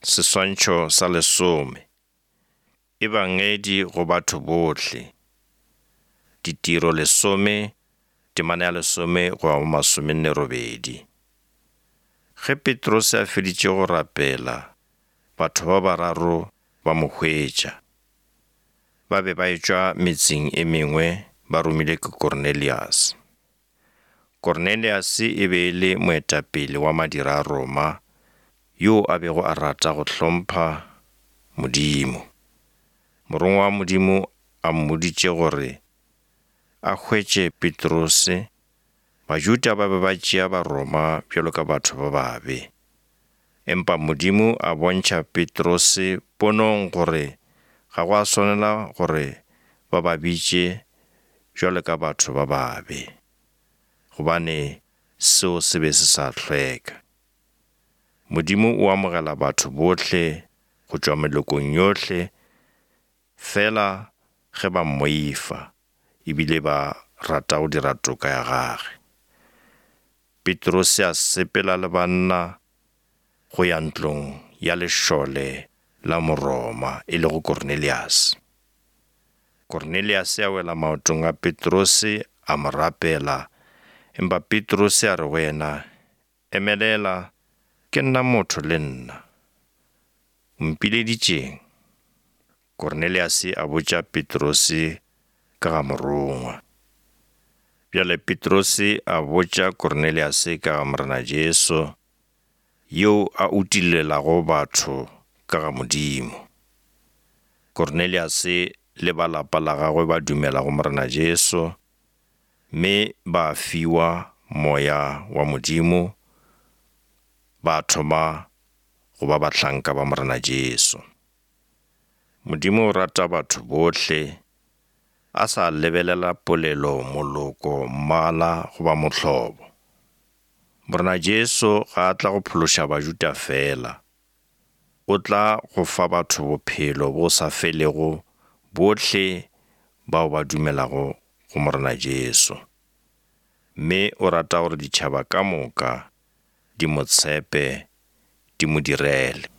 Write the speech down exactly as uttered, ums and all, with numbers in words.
Seswantšho sa lesome. Ebangedi go batho bohle. Ditiro lesome, temana ya lesome go ya go masomenne robedi. Ge Petrose a feditše go rapela, batho ba bararo ba mo hwetša. Ba be ba etšwa metseng e mengwe ba romilwe ke Kornelius. Kornelius e be e le moetapele wa madira a Roma yo a bego a rata go hlompha Modimo. Morongwa wa Modimo a mmoditše gore a hwetše Petrose. Bajuda ba be ba tšea Baroma bjalo ka batho ba babe. Empa Modimo a bontšha Petrose ponong gore ga go a swanela gore ba ba bitše bjalo ka batho ba babe, gobane seo se be se sa hlweka. Modimo o amogela batho bohle go tšwa melokong yohle fela ge ba mmoifa ebile ba rata go dira toka ya gage. Petrose a sepela le banna go ya ntlong ya lešole la Moroma e lego Kornelius. Kornelius a wela maotong a Petrose a mo rapela, empa Petrose a re go yena, emelela, ke nna motho le nna. O mpileditšeng? Kornelius a botša Petrose ka ga morongwa. Bjale Petrose a botša Kornelius ka ga Morena Jesu, yo a utillelago batho ka ga Modimo. Kornelius le ba lapa la gagwe ba dumela go Morena Jesu, mme ba fiwa moya wa Modimo, ba thoma go ba bahlanka ba Morena Jesu. Modimo o rata batho bohle, a sa lebelela polelo, moloko, mmala goba mohlobo. Morena Jesu ga a tla go phološa Bajuda fela, o tla go fa batho bophelo bo sa felego bohle bao ba dumelago go Morena Jesu. Mme o rata gore ditšhaba ka moka di mo tshepe, di mo direle.